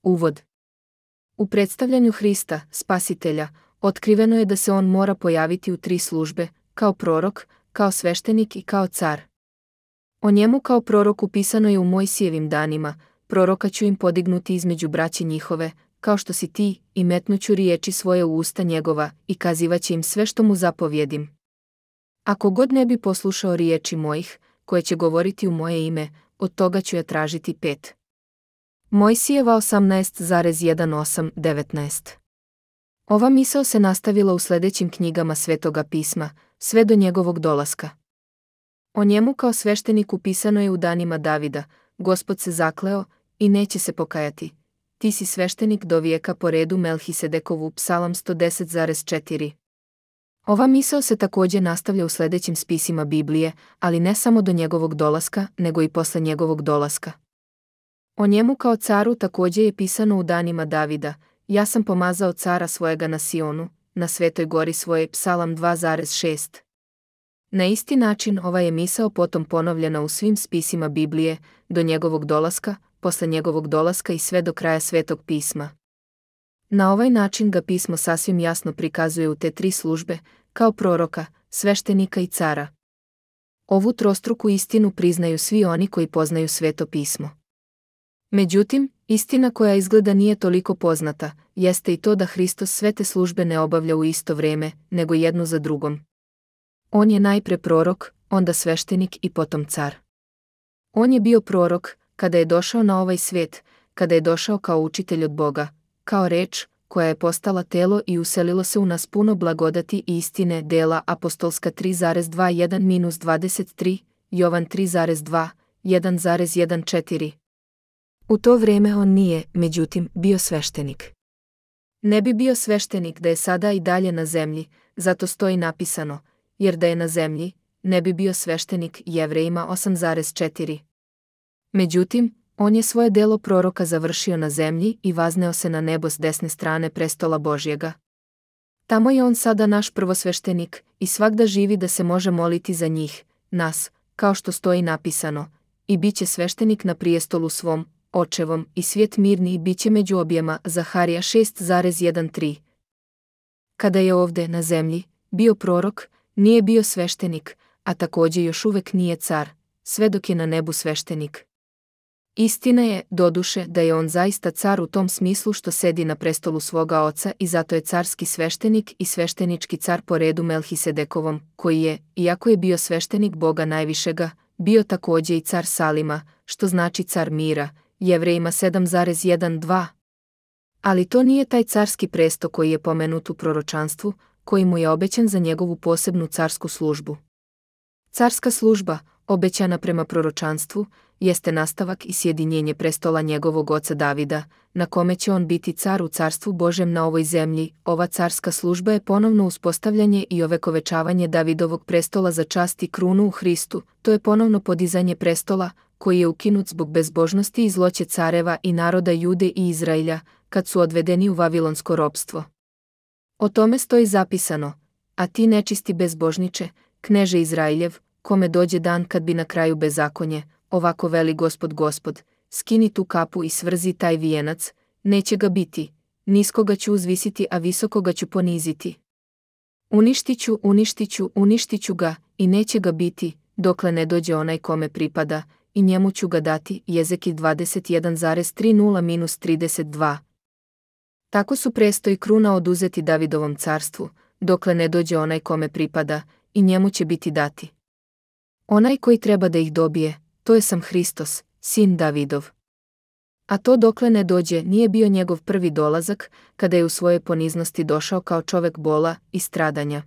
Uvod. U predstavljanju Hrista, Spasitelja, otkriveno je da se on mora pojaviti u 3 službe, kao prorok, kao sveštenik i kao car. O njemu kao proroku pisano je u Mojsijevim danima: proroka ću im podignuti između braće njihove, kao što si ti, i metnuću riječi svoje u usta njegova, i kazivaće im sve što mu zapovjedim. Ako god ne bi poslušao riječi mojih, koje će govoriti u moje ime, od toga ću ja tražiti 5. Mojsijeva 18,18-19. Ova misao se nastavila u sljedećim knjigama Svetoga pisma, sve do njegovog dolaska. O njemu kao svešteniku pisano je u danima Davida: Gospod se zakleo i neće se pokajati. Ti si sveštenik do vijeka po redu Melhisedekovu, Psalam 110,4. Ova misao se također nastavlja u sljedećim spisima Biblije, ali ne samo do njegovog dolaska, nego i posle njegovog dolaska. O njemu kao caru također je pisano u danima Davida: ja sam pomazao cara svojega na Sionu, na svetoj gori svoje, Psalam 2,6. Na isti način ova je misao potom ponovljena u svim spisima Biblije, do njegovog dolaska, posle njegovog dolaska i sve do kraja Svetog pisma. Na ovaj način ga pismo sasvim jasno prikazuje u te 3 službe, kao proroka, sveštenika i cara. Ovu trostruku istinu priznaju svi oni koji poznaju Sveto pismo. Međutim, istina koja izgleda nije toliko poznata, jeste i to da Hristos sve te službe ne obavlja u isto vrijeme, nego jednu za drugom. On je najpre prorok, onda sveštenik i potom car. On je bio prorok kada je došao na ovaj svijet, kada je došao kao učitelj od Boga, kao reč koja je postala telo i uselilo se u nas puno blagodati i istine. Dela apostolska 3,21-23, Jovan 3,2, 1,14. U to vrijeme on nije, međutim, bio sveštenik. Ne bi bio sveštenik da je sada i dalje na zemlji, zato stoji napisano: jer da je na zemlji, ne bi bio sveštenik. Jevrejima 8,4. Međutim, on je svoje delo proroka završio na zemlji i vazneo se na nebo s desne strane prestola Božjega. Tamo je on sada naš prvosveštenik i svagda živi da se može moliti za njih, nas, kao što stoji napisano: i bit će sveštenik na prijestolu svom, očevom, i svijet mirni i bit će među objema. Zaharija 6,13. Kada je ovdje na zemlji bio prorok, nije bio sveštenik, a također još uvijek nije car, sve dok je na nebu sveštenik. Istina je, doduše, da je on zaista car u tom smislu što sedi na prestolu svoga oca i zato je carski sveštenik i sveštenički car po redu Melhisedekovom, koji je, iako je bio sveštenik Boga najvišega, bio također i car Salima, što znači car mira. Jevrejima 7,1-2. Ali to nije taj carski presto koji je pomenut u proročanstvu, koji mu je obećan za njegovu posebnu carsku službu. Carska služba, obećana prema proročanstvu, jeste nastavak i sjedinjenje prestola njegovog oca Davida, na kome će on biti car u carstvu Božem na ovoj zemlji. Ova carska služba je ponovno uspostavljanje i ovekovečavanje Davidovog prestola za čast i krunu u Hristu, to je ponovno podizanje prestola, koji je ukinut zbog bezbožnosti i zloće careva i naroda Jude i Izraelja, kad su odvedeni u vavilonsko ropstvo. O tome stoji zapisano: a ti nečisti bezbožniče, kneže Izraeljev, kome dođe dan kad bi na kraju bezakonje, ovako veli Gospod Gospod, skini tu kapu i svrzi taj vijenac, neće ga biti, niskoga ću uzvisiti, a visokoga ću poniziti. Uništit ću ga, i neće ga biti, dokle ne dođe onaj kome pripada, i njemu ću ga dati. Jezekil 21,30-32. Tako su presto i kruna oduzeti Davidovom carstvu, dokle ne dođe onaj kome pripada, i njemu će biti dati. Onaj koji treba da ih dobije, to je sam Hristos, sin Davidov. A to dokle ne dođe nije bio njegov prvi dolazak, kada je u svojoj poniznosti došao kao čovek bola i stradanja.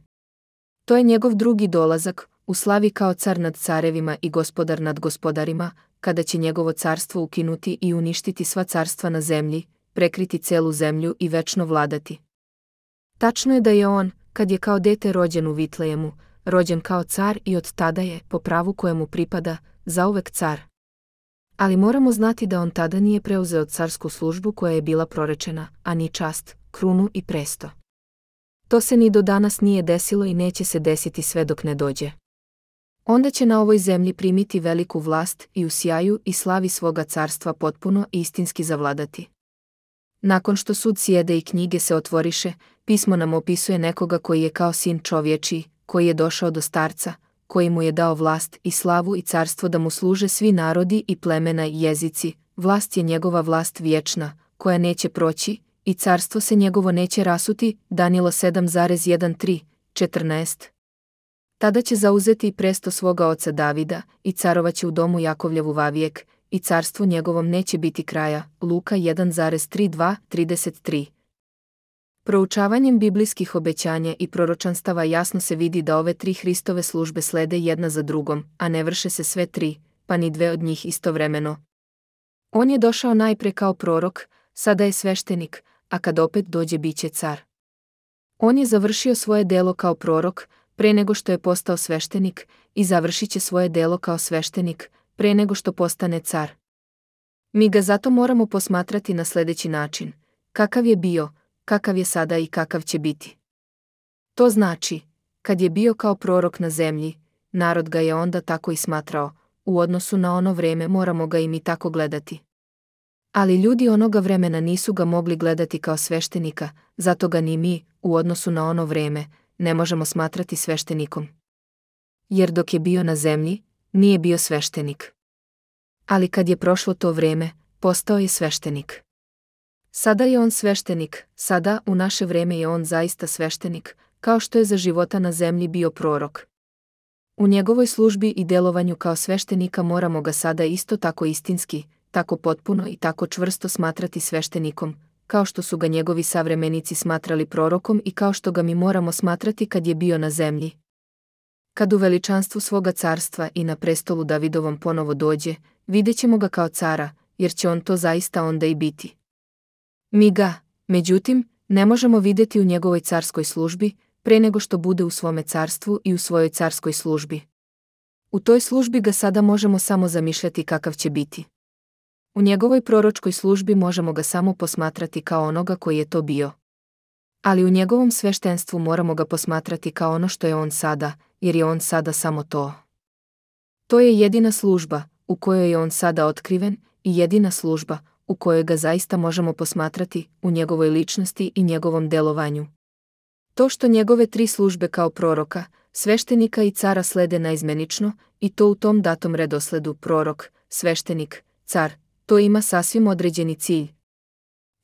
To je njegov drugi dolazak, u slavi kao car nad carevima i gospodar nad gospodarima, kada će njegovo carstvo ukinuti i uništiti sva carstva na zemlji, prekriti celu zemlju i večno vladati. Tačno je da je on, kad je kao dete rođen u Vitlejemu, rođen kao car i od tada je, po pravu kojemu pripada, zauvek car. Ali moramo znati da on tada nije preuzeo carsku službu koja je bila prorečena, a ni čast, krunu i presto. To se ni do danas nije desilo i neće se desiti sve dok ne dođe. Onda će na ovoj zemlji primiti veliku vlast i u sjaju i slavi svoga carstva potpuno i istinski zavladati. Nakon što sud sjede i knjige se otvoriše, pismo nam opisuje nekoga koji je kao sin čovječiji, koji je došao do starca, koji mu je dao vlast i slavu i carstvo da mu služe svi narodi i plemena i jezici. Vlast je njegova vlast vječna, koja neće proći, i carstvo se njegovo neće rasuti. Danilo 7,13-14. Tada će zauzeti i presto svoga oca Davida, i carovaće u domu Jakovljevu vavijek, i carstvu njegovom neće biti kraja. Luka 1,32-33. Proučavanjem biblijskih obećanja i proročanstava jasno se vidi da ove tri Hristove službe slede jedna za drugom, a ne vrše se sve tri, pa ni dve od njih istovremeno. On je došao najpre kao prorok, sada je sveštenik, a kad opet dođe biće car. On je završio svoje delo kao prorok, pre nego što je postao sveštenik, i završit će svoje delo kao sveštenik, pre nego što postane car. Mi ga zato moramo posmatrati na sljedeći način: kakav je bio, kakav je sada i kakav će biti. To znači, kad je bio kao prorok na zemlji, narod ga je onda tako i smatrao, u odnosu na ono vreme moramo ga i mi tako gledati. Ali ljudi onoga vremena nisu ga mogli gledati kao sveštenika, zato ga ni mi, u odnosu na ono vreme, ne možemo smatrati sveštenikom. Jer dok je bio na zemlji, nije bio sveštenik. Ali kad je prošlo to vreme, postao je sveštenik. Sada je on sveštenik, sada u naše vreme je on zaista sveštenik, kao što je za života na zemlji bio prorok. U njegovoj službi i delovanju kao sveštenika moramo ga sada isto tako istinski, tako potpuno i tako čvrsto smatrati sveštenikom, kao što su ga njegovi savremenici smatrali prorokom i kao što ga mi moramo smatrati kad je bio na zemlji. Kad u veličanstvu svoga carstva i na prestolu Davidovom ponovo dođe, vidjet ćemo ga kao cara, jer će on to zaista onda i biti. Mi ga, međutim, ne možemo vidjeti u njegovoj carskoj službi, pre nego što bude u svome carstvu i u svojoj carskoj službi. U toj službi ga sada možemo samo zamišljati kakav će biti. U njegovoj proročkoj službi možemo ga samo posmatrati kao onoga koji je to bio. Ali u njegovom sveštenstvu moramo ga posmatrati kao ono što je on sada, jer je on sada samo to. To je jedina služba u kojoj je on sada otkriven i jedina služba u kojoj ga zaista možemo posmatrati u njegovoj ličnosti i njegovom delovanju. To što njegove tri službe kao proroka, sveštenika i cara slede naizmenično, i to u tom datom redosledu: prorok, sveštenik, car, to ima sasvim određeni cilj.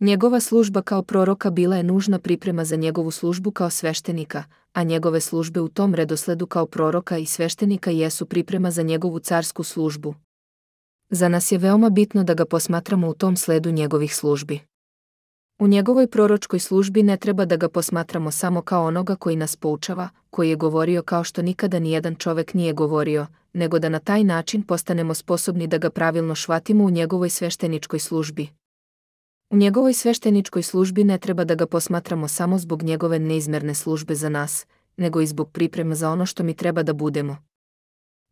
Njegova služba kao proroka bila je nužna priprema za njegovu službu kao sveštenika, a njegove službe u tom redosledu kao proroka i sveštenika jesu priprema za njegovu carsku službu. Za nas je veoma bitno da ga posmatramo u tom sledu njegovih službi. U njegovoj proročkoj službi ne treba da ga posmatramo samo kao onoga koji nas poučava, koji je govorio kao što nikada nijedan čovek nije govorio, nego da na taj način postanemo sposobni da ga pravilno shvatimo u njegovoj svešteničkoj službi. U njegovoj svešteničkoj službi ne treba da ga posmatramo samo zbog njegove neizmerne službe za nas, nego i zbog priprema za ono što mi treba da budemo.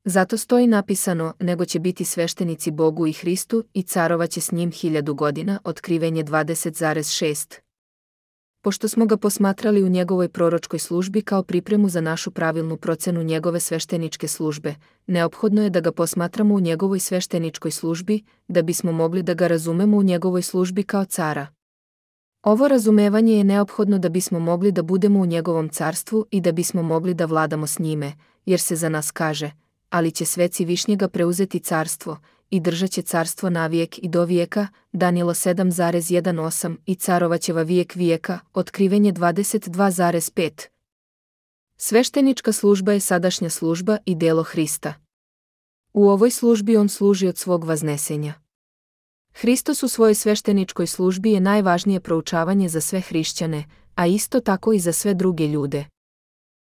Zato stoji napisano: nego će biti sveštenici Bogu i Hristu i carovaće s njim 1000 godina. Otkrivenje 20,6. Pošto smo ga posmatrali u njegovoj proročkoj službi kao pripremu za našu pravilnu procenu njegove svešteničke službe, neophodno je da ga posmatramo u njegovoj svešteničkoj službi, da bismo mogli da ga razumemo u njegovoj službi kao cara. Ovo razumevanje je neophodno da bismo mogli da budemo u njegovom carstvu i da bismo mogli da vladamo s njime, jer se za nas kaže: ali će sveci višnjega preuzeti carstvo i držat će carstvo navijek i do vijeka. Danilo 7,18 i carovaće vijek vijeka. Otkrivenje 22,5. Sveštenička služba je sadašnja služba i delo Hrista. U ovoj službi on služi od svog vaznesenja. Hristos u svojoj svešteničkoj službi je najvažnije proučavanje za sve hrišćane, a isto tako i za sve druge ljude.